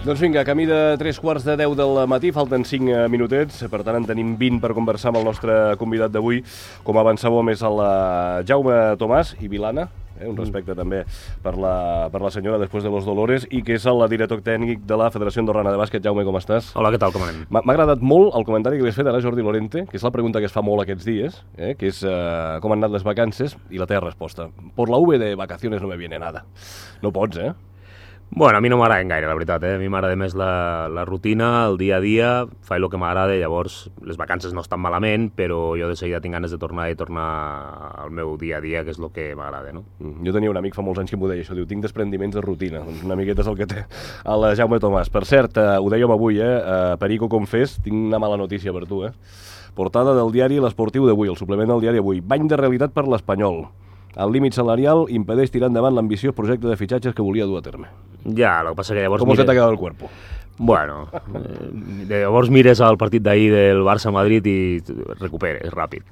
Doncs vinga, camí de 3:45 del matí, falten 5 minutets, per tant en tenim 20 per conversar amb el nostre convidat d'avui. Com avançàvem és el Jaume Tomàs i Vilana, un respecte també per la senyora després de los Dolores, i que és el director tècnic de la Federació Andorrana de Bàsquet. Jaume, com estàs? Hola, què tal, com anem? M'ha agradat molt el comentari que li has fet ara a Jordi Lorente, que és la pregunta que es fa molt aquests dies, que és com han anat les vacances, i la teva resposta. Por la V de vacaciones no me viene nada. No pots, Bueno, a mi no m'agrada gaire, la veritat. A mi m'agrada més la rutina, el dia a dia, faig el que m'agrada, llavors les vacances no estan malament, però jo de seguida tinc ganes de tornar al meu dia a dia, que és el que m'agrada, no? Jo tenia un amic fa molts anys que m'ho deia, això, diu, tinc desprendiments de rutina. Doncs una miqueta és el que té el Jaume Tomàs. Per cert, ho dèiem avui, Perico Confés, tinc una mala notícia per tu, Portada del diari L'Esportiu d'avui, el suplement del diari avui. Bany de realitat per l'Espanyol. El límit salarial impedeix tirar endavant l'ambiciós projecte de fitxatges que volia dur a terme. Ja, el que passa que llavors... Com se t'ha quedat el cuerpo? Bueno, llavors mires el partit d'ahir del Barça-Madrid i recuperes ràpid.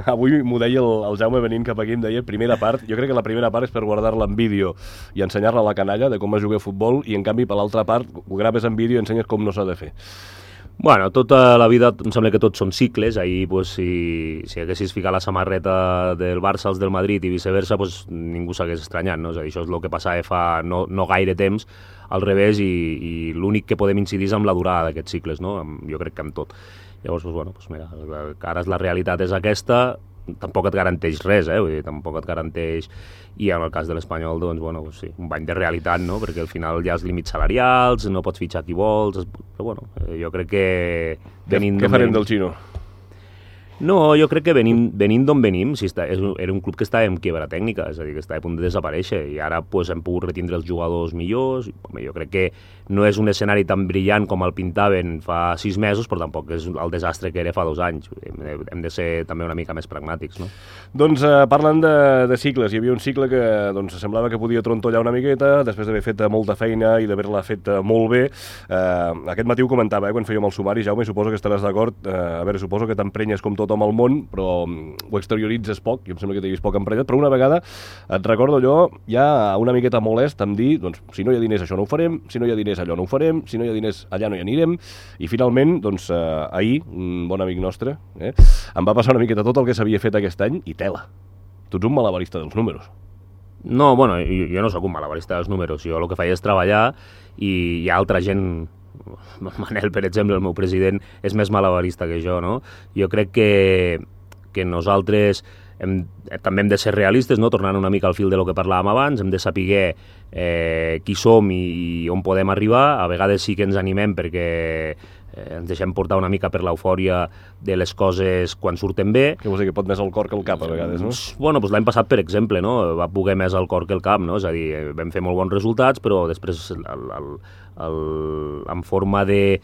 Avui m'ho deia el Jaume venint cap aquí, em deia primera part, jo crec que la primera part és per guardar-la en vídeo i ensenyar-la a la canalla de com es juga a futbol, i en canvi per l'altra part ho graves en vídeo i ensenyes com no s'ha de fer. Bueno, tota la vida em sembla que tots són cicles. Ahir, pues, si haguessis ficat la samarreta del Barça als del Madrid i viceversa, pues, ningú s'hagués estranyat, no? És a dir, això és el que passava fa no gaire temps, al revés, i l'únic que podem incidir és amb la durada d'aquests cicles, no? Jo crec que amb tot. Llavors, pues, bueno, pues, mira, ara la realitat és aquesta, tampoc et garanteix res, vull dir, tampoc et garanteix, i en el cas de l'Espanyol, doncs, bueno, pues sí, un bany de realitat, no?, perquè al final hi ha els límits salarials, no pots fitxar qui vols, però bueno, jo crec que... Què farem del Xino? No, jo crec que venint d'on venim, era un club que estava en quiebra tècnica, és a dir, que estava a punt de desaparèixer, i ara pues, hem pogut retindre els jugadors millors. Home, jo crec que no és un escenari tan brillant com el pintaven fa 6 mesos, però tampoc és el desastre que era fa 2 anys. Hem de ser també una mica més pragmàtics, no? Doncs parlant de cicles, hi havia un cicle que doncs, semblava que podia trontollar una miqueta, després d'haver fet molta feina i d'haver-la fet molt bé. Aquest matí ho comentava, quan fèiem el sumari, Jaume, suposo que estaràs d'acord. A veure, suposo que t'emprenyes com tothom al món, però ho exterioritzes poc, i em sembla que t'hi vist poc emprenyat, però una vegada et recordo allò ja una miqueta molest amb dir, doncs, si no hi ha diners això no ho farem, si no hi ha diners allò no ho farem, si no hi ha diners allà no hi anirem, i finalment, doncs, ahir, un bon amic nostre, em va passar una miqueta tot el que s'havia fet aquest any, i tela. Tu ets un malabarista dels números. No, bueno, jo no sóc un malabarista dels números, jo el que faig és treballar, i hi ha altra gent... Manel, per exemple, el meu president, és més malabarista que jo, no? Jo crec que nosaltres també hem de ser realistes, no? Tornant una mica al fil de lo que parlàvem abans, hem de saber qui som i on podem arribar. A vegades sí que ens animem perquè ens deixem portar una mica per l'eufòria de les coses quan surten bé. Què vols dir, que pot més el cor que el cap a vegades, no? Bueno, doncs l'any passat, per exemple, no? Va poder més el cor que el cap, no? És a dir, vam fer molt bons resultats, però després en forma de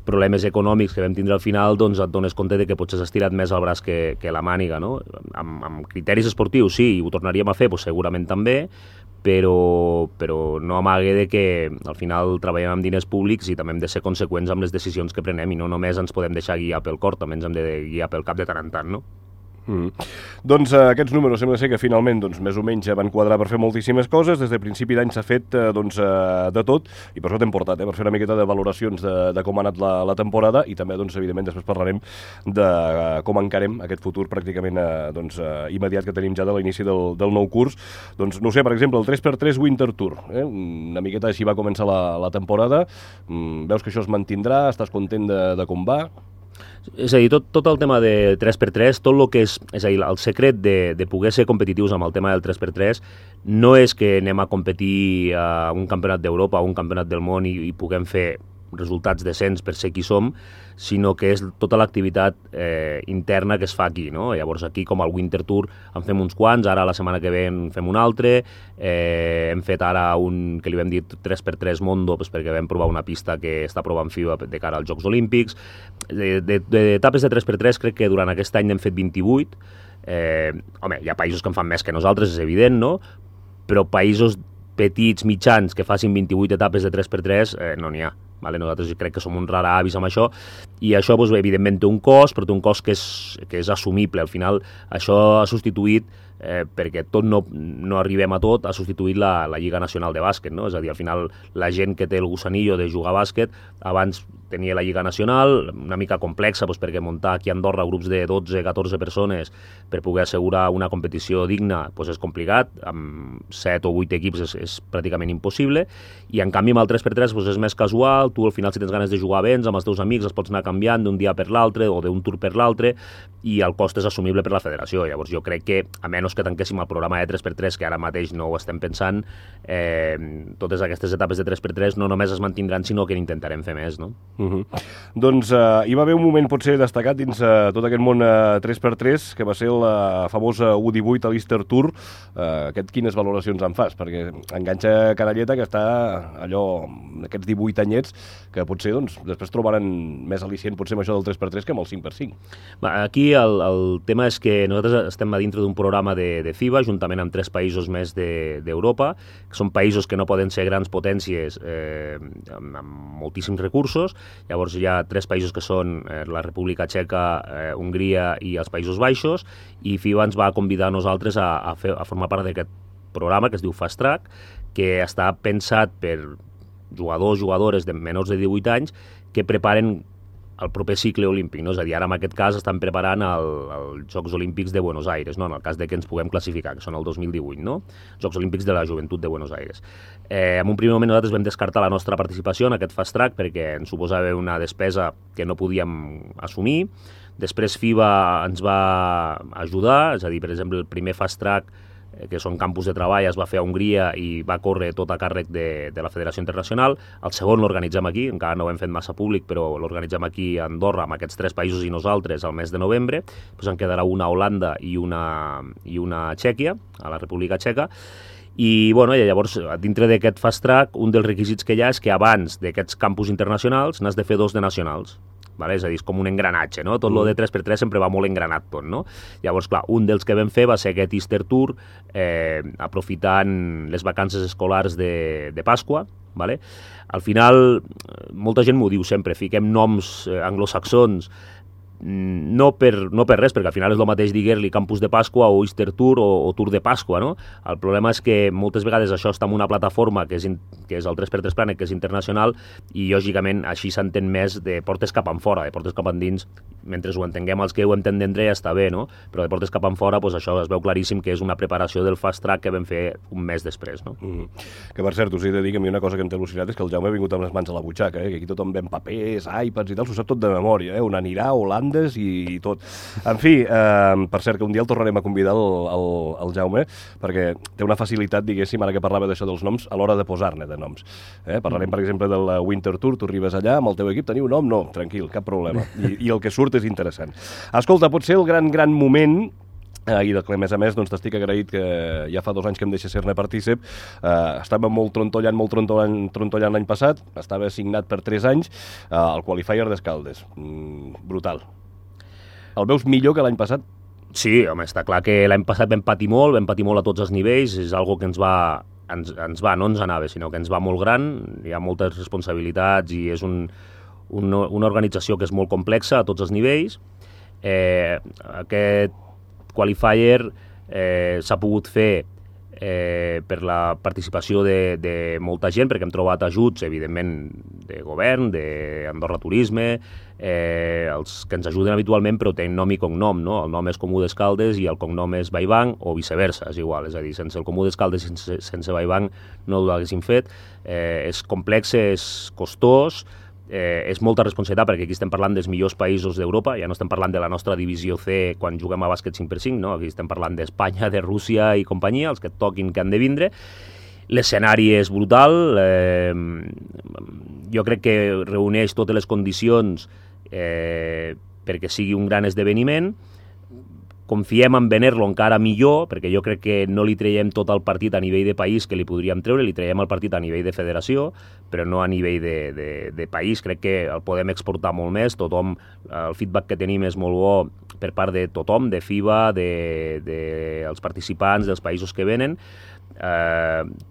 problemes econòmics que vam tindre al final, doncs et dones compte de que potser s'ha estirat més el braç que la màniga, no? Amb criteris esportius, sí, i ho tornaríem a fer, doncs segurament també, però no amague de que al final treballem amb diners públics i també hem de ser conseqüents amb les decisions que prenem, i no només ens podem deixar guiar pel cor, també ens hem de guiar pel cap de tant en tant, no? Doncs aquests números sembla ser que finalment més o menys van quadrar per fer moltíssimes coses. Des de principi d'any s'ha fet de tot, i per això t'hem portat, per fer una miqueta de valoracions de com ha anat la temporada, i també, evidentment, després parlarem de com encarem aquest futur pràcticament immediat que tenim ja de l'inici del nou curs. Doncs, no sé, per exemple, el 3x3 Winter Tour, una miqueta així va començar la temporada. Veus que això es mantindrà? Estàs content de com va? És a dir, tot el tema de 3x3, tot el que és a dir, el secret de poder ser competitius amb el tema del 3x3 no és que anem a competir a un campionat d'Europa o un campionat del món i puguem fer resultats decents per ser qui som, sinó que és tota l'activitat interna que es fa aquí, no? Llavors aquí, com al Winter Tour, en fem uns quants, ara la setmana que ve en fem un altre, hem fet ara un que li vam dir 3x3 Mondo, perquè vam provar una pista que està provant FIBA de cara als Jocs Olímpics. D'etapes de 3x3 crec que durant aquest any n'hem fet 28. Home, hi ha països que en fan més que nosaltres, és evident, no? Però països petits, mitjans, que facin 28 etapes de 3x3, no n'hi ha. Vale? Nosaltres crec que som un rara avis amb això, i això evidentment té un cost, però té un cost que és assumible. Al final això ha substituït perquè tot no arribem a tot a substituir la Lliga Nacional de Bàsquet, no? És a dir, al final la gent que té el gusanillo de jugar a bàsquet abans tenia la Lliga Nacional, una mica complexa perquè muntar aquí a Andorra grups de 12-14 persones per poder assegurar una competició digna és complicat, amb 7 o 8 equips és pràcticament impossible, i en canvi amb el 3x3 és més casual, tu al final si tens ganes de jugar vens amb els teus amics els pots anar canviant d'un dia per l'altre o d'un tour per l'altre, i el cost és assumible per la federació. Llavors jo crec que, a menys que tanquéssim el programa de 3x3, que ara mateix no ho estem pensant, totes aquestes etapes de 3x3 no només es mantindran, sinó que n'intentarem fer més, no? Doncs hi va haver un moment potser destacat dins tot aquest món 3x3, que va ser la famosa U18 a l'Easter Tour. Quines valoracions en fas? Perquè enganxa canalleta que està allò, aquests 18 anyets, que potser després trobaran més al·licient potser amb això del 3x3 que amb el 5x5. Aquí el tema és que nosaltres estem a dintre d'un programa de FIBA, juntament amb 3 països més d'Europa, que són països que no poden ser grans potències amb moltíssims recursos. Llavors hi ha 3 països que són la República Txeca, Hongria i els Països Baixos, i FIBA ens va convidar a nosaltres a formar part d'aquest programa que es diu Fast Track, que està pensat per jugadors de menors de 18 anys que preparen el proper cicle olímpic, no? És a dir, ara en aquest cas estan preparant els Jocs Olímpics de Buenos Aires, no? En el cas de que ens puguem classificar, que són el 2018, no? Jocs Olímpics de la Joventut de Buenos Aires. En un primer moment nosaltres vam descartar la nostra participació en aquest Fast Track perquè ens suposava una despesa que no podíem assumir. Després FIBA ens va ajudar, és a dir, per exemple, el primer Fast Track, que són campus de treball, es va fer a Hongria i va córrer tot a càrrec de la Federació Internacional. El segon l'organitzem aquí, encara no ho hem fet massa públic, però l'organitzem aquí a Andorra, amb aquests 3 països i nosaltres, al mes de novembre. Després en quedarà una a Holanda i una a Txèquia, a la República Txeca. I llavors, dintre d'aquest Fast Track, un dels requisits que hi ha és que abans d'aquests campus internacionals n'has de fer 2 de nacionals. Vale? És a dir, és com un engranatge, no? Tot lo de 3x3 sempre va molt engranat tot, no? Llavors, clar, un dels que vam fer va ser aquest Easter Tour, aprofitant les vacances escolars de Pasqua, vale? Al final, molta gent m'ho diu sempre, fiquem noms anglosaxons, no per res, perquè al final és el mateix dir-li Campus de Pasqua o Easter Tour o Tour de Pasqua, no? El problema és que moltes vegades això està en una plataforma que és el 3x3 Planet, que és internacional, i lògicament així s'entén més de portes cap enfora, de portes cap endins, mentre ho entenguem els que ho entendrem ja està bé, no? Però de portes cap enfora, això es veu claríssim que és una preparació del Fast Track que vam fer un mes després, no? Que per cert, us he de dir que a mi una cosa que em té al·lucinat és que el Jaume ha vingut amb les mans a la butxaca, que aquí tothom ven papers, iPads i tal, s'ho sap tot de memòria, on anirà, Holanda i tot. En fi, per cert, que un dia el tornarem a convidar el Jaume, perquè té una facilitat, diguéssim, ara que parlava d'això dels noms, a l'hora de posar-ne de noms. Parlarem, per exemple, del Winter Tour, tu arribes allà, amb el teu equip, teniu nom? No, tranquil, cap problema. I el que surt és interessant. Escolta, potser el gran moment, i a més a més t'estic agraït que ja fa 2 anys que em deixa ser-ne partícip. Estava molt trontollant l'any passat, estava signat per 3 anys, el qualifier d'Escaldes. Brutal. El veus millor que l'any passat? Sí, home, està clar que l'any passat vam patir molt a tots els nivells, és algo que no ens anava, sinó que ens va molt gran, hi ha moltes responsabilitats i és una organització que és molt complexa a tots els nivells. Aquest qualifier s'ha pogut fer per la participació de molta gent, perquè hem trobat ajuts, evidentment, de govern, d'Andorra Turisme, els que ens ajuden habitualment, però tenen nom i cognom, no? El nom és Comú d'Escaldes i el cognom és Vallbanc, o viceversa, és igual, és a dir, sense el Comú d'Escaldes i sense Vallbanc no ho haguéssim fet. És complex, és costós, és molta responsabilitat, perquè aquí estem parlant dels millors països d'Europa, ja no estem parlant de la nostra divisió C quan juguem a bàsquet 5x5, no? Aquí estem parlant d'Espanya, de Rússia i companyia, els que et toquin que han de vindre. L'escenari és brutal, jo crec que reuneix totes les condicions perquè sigui un gran esdeveniment. Confiem en venir-lo encara millor, perquè jo crec que no li traiem tot el partit a nivell de país que li podríem treure, li traiem el partit a nivell de federació, però no a nivell de país. Crec que el podem exportar molt més. El feedback que tenim és molt bo per part de tothom, de FIBA, dels participants, dels països que venen.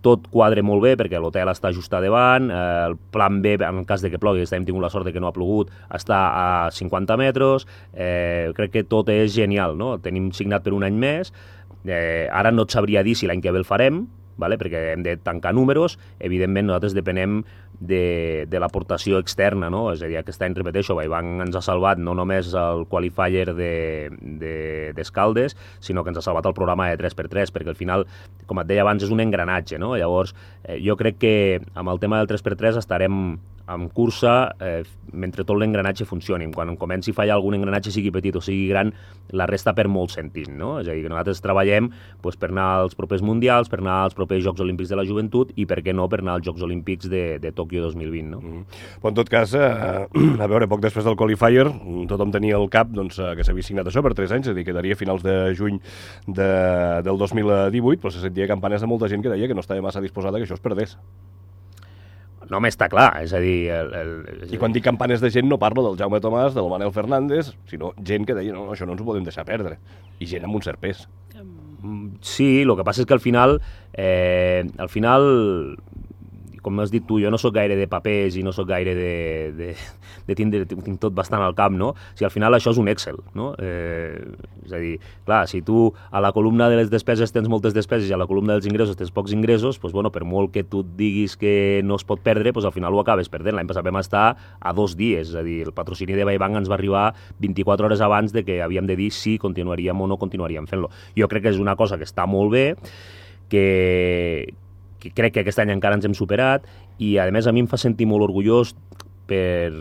Tot quadre molt bé perquè l'hotel està just a davant, el plan B, en el cas de que plogui, hem tingut la sort de que no ha plogut, està a 50 metres, crec que tot és genial, no? Tenim signat per un any més, Ara no et sabria dir si l'any que ve el farem, vale? Perquè hem de tancar números, evidentment nosaltres depenem de l'aportació externa, no? És a dir, aquest any, repeteixo, Vallbanc ens ha salvat no només el qualifier d'Escaldes, sinó que ens ha salvat el programa de 3x3, perquè al final, com et deia abans, és un engranatge, no? Llavors, jo crec que amb el tema del 3x3 estarem en cursa mentre tot l'engranatge funcioni. Quan comenci a fallar algun engranatge, sigui petit o sigui gran, la resta perd molt sentit, no? És a dir, que nosaltres treballem per anar als propers mundials, per anar als propers Jocs Olímpics de la Joventut i, per què no, per anar als Jocs Olímpics de Tòquio 2020, no? Però en tot cas, a veure, poc després del qualifier, tothom tenia al cap que s'havia signat això per 3 anys, és a dir, quedaria a finals de juny del 2018, però se sentia campanes de molta gent que deia que no estava massa disposada que això es perdés. No m'està clar, és a dir... I quan dic campanes de gent no parlo del Jaume Tomàs, del Manel Fernández, sinó gent que deia, no, això no ens ho podem deixar perdre. I gent amb un cert pes. Sí, el que passa és que al final, com has dit tu, jo no sóc gaire de papers i no sóc gaire de tindre, tinc tot bastant al cap, no? Si al final això és un Excel, no? És a dir, clar, si tu a la columna de les despeses tens moltes despeses i a la columna dels ingressos tens pocs ingressos, doncs, bueno, per molt que tu et diguis que no es pot perdre, doncs al final ho acabes perdent. L'any passat vam estar a 2 dies, és a dir, el patrocini de Vallbanc ens va arribar 24 hores abans de que havíem de dir si continuaríem o no continuaríem fent-lo. Jo crec que és una cosa que està molt bé, que crec que aquest any encara ens hem superat i, a més, a mi em fa sentir molt orgullós per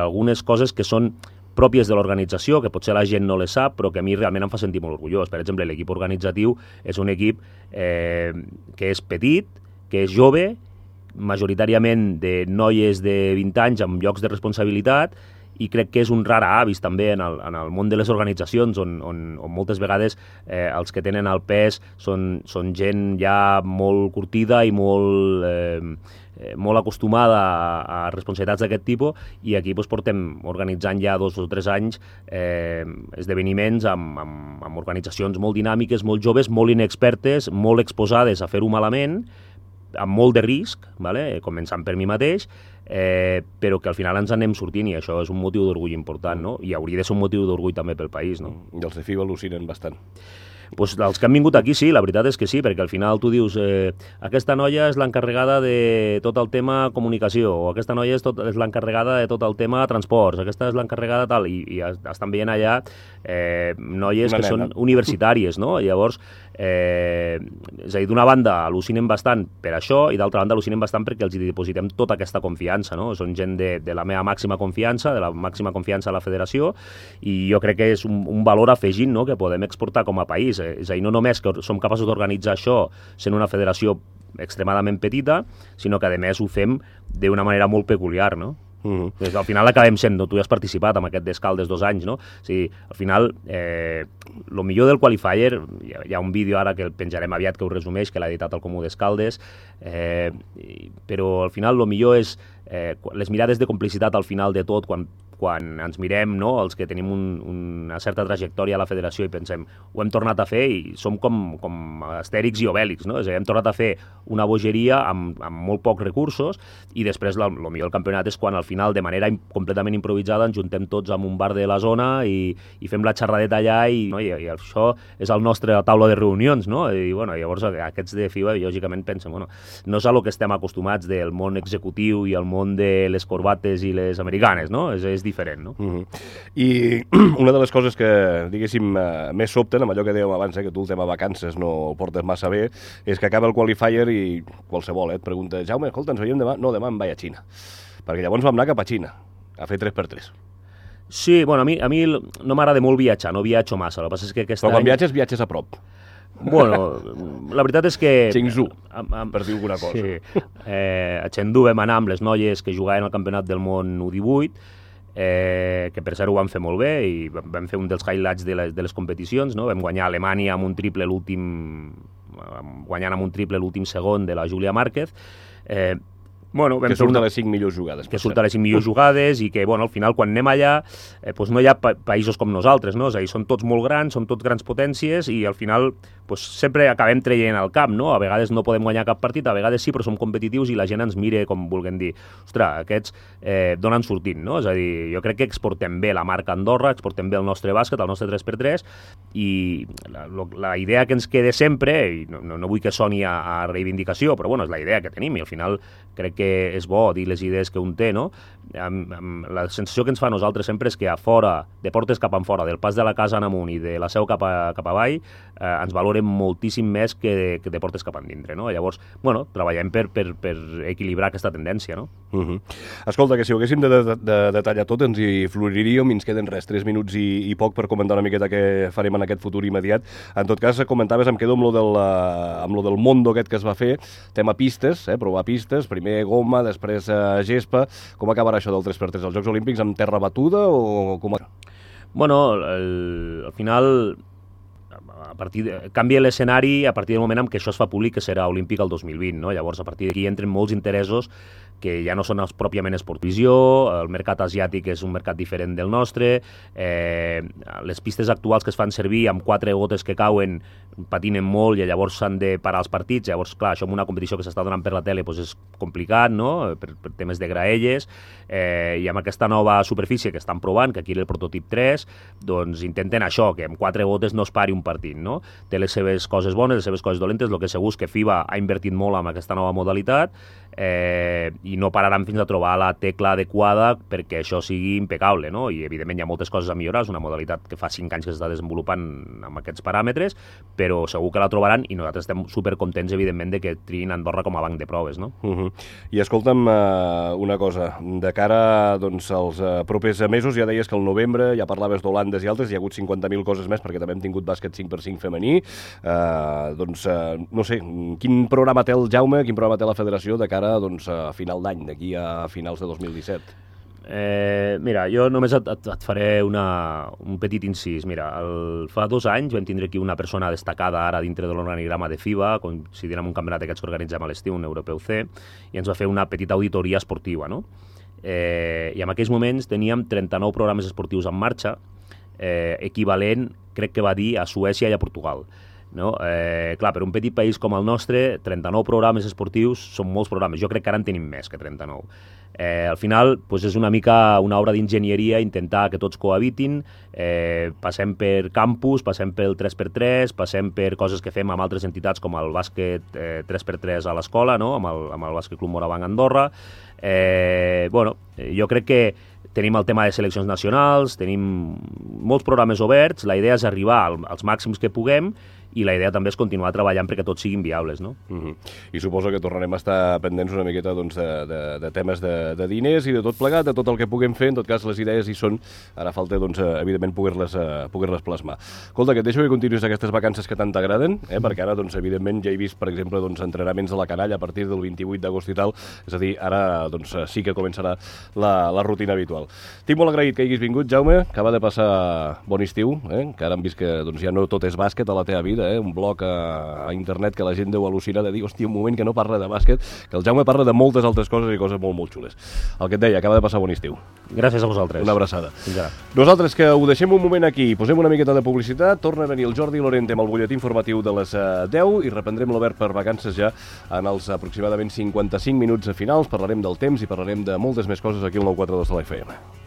algunes coses que són pròpies de l'organització, que potser la gent no les sap, però que a mi realment em fa sentir molt orgullós. Per exemple, l'equip organitzatiu és un equip que és petit, que és jove, majoritàriament de noies de 20 anys amb llocs de responsabilitat, i crec que és un rar avis també en el món de les organitzacions on moltes vegades els que tenen el pes són gent ja molt curtida i molt acostumada a responsabilitats d'aquest tipus, i aquí portem organitzant ja 2 o 3 anys esdeveniments amb organitzacions molt dinàmiques, molt joves, molt inexpertes, molt exposades a fer-ho malament, amb molt de risc, començant per mi mateix, però que al final ens anem sortint, i això és un motiu d'orgull important, no? I hauria de ser un motiu d'orgull també pel país, no? I els de FIBA al·lucinen bastant. Pues els que han vingut aquí sí, la veritat és que sí, perquè al final tu dius aquesta noia és l'encarregada de tot el tema comunicació, o aquesta noia és l'encarregada de tot el tema transports, aquesta és l'encarregada tal, i estan veient allà noies que són universitàries, no? I llavors, és a dir, d'una banda al·lucinen bastant per això, i d'altra banda al·lucinen bastant perquè els depositem tota aquesta confiança, no? Són gent de la meva màxima confiança, de la màxima confiança a la federació, i jo crec que és un valor afegit, no?, que podem exportar com a país. És a dir, no només que som capaços d'organitzar això sent una federació extremadament petita, sinó que a més ho fem d'una manera molt peculiar, no? Al final acabem sent, tu ja has participat en aquest d'Escaldes 2 anys, no? O sigui, al final, el millor del qualifier, hi ha un vídeo ara que el penjarem aviat que ho resumeix, que l'ha editat el Comú d'Escaldes, però al final el millor és les mirades de complicitat al final de tot, quan ens mirem, no?, els que tenim una certa trajectòria a la federació i pensem, ho hem tornat a fer, i som com Astèrix i Obèlix, no? És a dir, hem tornat a fer una bogeria amb molt pocs recursos, i després el millor del campionat és quan al final, de manera completament improvisada, ens juntem tots en un bar de la zona i fem la xerradeta allà, i això és el nostre taula de reunions, no? I llavors aquests de FIBA, lògicament, pensen, no és a lo que estem acostumats del món executiu i el món de les corbates i les americanes, no? És diferent, no? I una de les coses que, diguéssim, més sobten, amb allò que dèiem abans, que tu el tema vacances no el portes massa bé, és que acaba el qualifier i qualsevol et pregunta, Jaume, escolta, ens veiem demà? No, demà em vaig a Xina. Perquè llavors vam anar cap a Xina, a fer 3x3. Sí, bueno, a mi no m'agrada molt viatjar, no viatjo massa, el que passa és que aquest any... Però quan viatges a prop. Bueno, la veritat és que... Chengdu, per dir alguna cosa. Sí, a Chengdu vam anar amb les noies que jugaven al Campionat del Món U18, que per cert ho vam fer molt bé, i vam fer un dels highlights de les competicions, no? Vam guanyar a Alemanya amb un triple guanyant amb un triple l'últim segon de la Júlia Márquez, Bueno, que surt a les 5 millors jugades. Que surt a les 5 millors jugades i que, bueno, al final, quan anem allà, doncs no hi ha països com nosaltres, no? És a dir, són tots molt grans, són tots grans potències i al final doncs, sempre acabem traient al camp, no? A vegades no podem guanyar cap partit, a vegades sí, però som competitius i la gent ens mira com vulguem dir. Ostres, aquests donen sortint, no? És a dir, jo crec que exportem bé la marca Andorra, exportem bé el nostre bàsquet, el nostre 3x3 i la idea que ens queda sempre, i no vull que soni a reivindicació, però bueno, és la idea que tenim i al final crec que és bo dir les idees que un té, no? La sensació que ens fa a nosaltres sempre és que a fora, de portes cap enfora, del pas de la casa en amunt i de la seu cap avall, ens valoren moltíssim més que de portes cap endintre, no? Llavors, bueno, treballem per equilibrar aquesta tendència, no? Escolta, que si ho haguéssim de detallar tot ens hi floriríem i ens queden res, 3 minuts i poc per comentar una miqueta què farem en aquest futur immediat. En tot cas, comentaves, em quedo amb lo del Mondo aquest que es va fer, tema pistes, provar pistes, primer goma, després gespa. Com acabarà això del 3x3? Els Jocs Olímpics amb terra batuda o com? Bueno, al final canvia l'escenari a partir del moment en què això es fa públic, que serà olímpic el 2020, no? Llavors, a partir d'aquí entren molts interessos que ja no són pròpiament esportivisió, el mercat asiàtic és un mercat diferent del nostre, les pistes actuals que es fan servir amb 4 gotes que cauen patinen molt i llavors s'han de parar els partits, llavors, clar, això en una competició que s'està donant per la tele doncs és complicat, no?, per temes de graelles, i amb aquesta nova superfície que estan provant, que aquí era el prototip 3, doncs intenten això, que amb 4 gotes no es pari un partit, no? Té les seves coses bones, les seves coses dolentes, el que segur és que FIBA ha invertit molt en aquesta nova modalitat, i no pararan fins a trobar la tecla adequada perquè això sigui impecable, no? I evidentment hi ha moltes coses a millorar, és una modalitat que fa 5 anys que s'està desenvolupant amb aquests paràmetres, però segur que la trobaran i nosaltres estem supercontents, evidentment, de que triïn Andorra com a banc de proves, no? I escolta'm una cosa, de cara doncs, als propers mesos, ja deies que al novembre, ja parlaves d'Holandes i altres, hi ha hagut 50.000 coses més, perquè també hem tingut bàsquet 5x5 femení, doncs, no sé, quin programa té el Jaume, quin programa té la federació de cara doncs, a final d'any, d'aquí a finals de 2017? Mira, jo només et faré un petit incís. Mira, fa 2 anys vam tindre aquí una persona destacada ara dintre de l'organigrama de FIBA, coincidint amb un campionat d'aquests que organitzem a l'estiu, un europeu C, i ens va fer una petita auditoria esportiva, no? I en aquells moments teníem 39 programes esportius en marxa, equivalent, crec que va dir, a Suècia i a Portugal. No? Clar, per un petit país com el nostre, 39 programes esportius són molts programes. Jo crec que ara en tenim més que 39. Al final, doncs és una mica una obra d'enginyeria intentar que tots cohabitin, passem per campus, passem pel 3x3, passem per coses que fem amb altres entitats com el bàsquet 3x3 a l'escola, no? amb el Bàsquet Club Morabanc Andorra. Bueno, jo crec que tenim el tema de seleccions nacionals, tenim molts programes oberts, la idea és arribar als màxims que puguem i la idea també és continuar treballant perquè tots siguin viables, no? I suposo que tornarem a estar pendents una miqueta doncs, de temes de diners i de tot plegat, de tot el que puguem fer. En tot cas, les idees hi són. Ara falta, doncs, evidentment, poder-les plasmar. Escolta, que et deixo que continuïs aquestes vacances que tant t'agraden, perquè ara, doncs, evidentment, ja he vist, per exemple, doncs, entrenaments a la canalla a partir del 28 d'agost i tal. És a dir, ara doncs, sí que començarà la rutina habitual. Estic molt agraït que hagis vingut, Jaume. Acaba de passar bon estiu, que ara hem vist que doncs, ja no tot és bàsquet a la teva vida, un blog a internet que la gent deu al·lucinar de dir, hòstia, un moment que no parla de bàsquet, que el Jaume parla de moltes altres coses i coses molt, molt xules. El que et deia, acaba de passar bon estiu. Gràcies a vosaltres. Una abraçada. Fins ara. Nosaltres que ho deixem un moment aquí, posem una miqueta de publicitat, torna a venir el Jordi Lorente amb el butlletí informatiu de les 10 i reprendrem l'Obert per vacances ja en els aproximadament 55 minuts finals. Parlarem del temps i parlarem de moltes més coses aquí al 942 de la FM.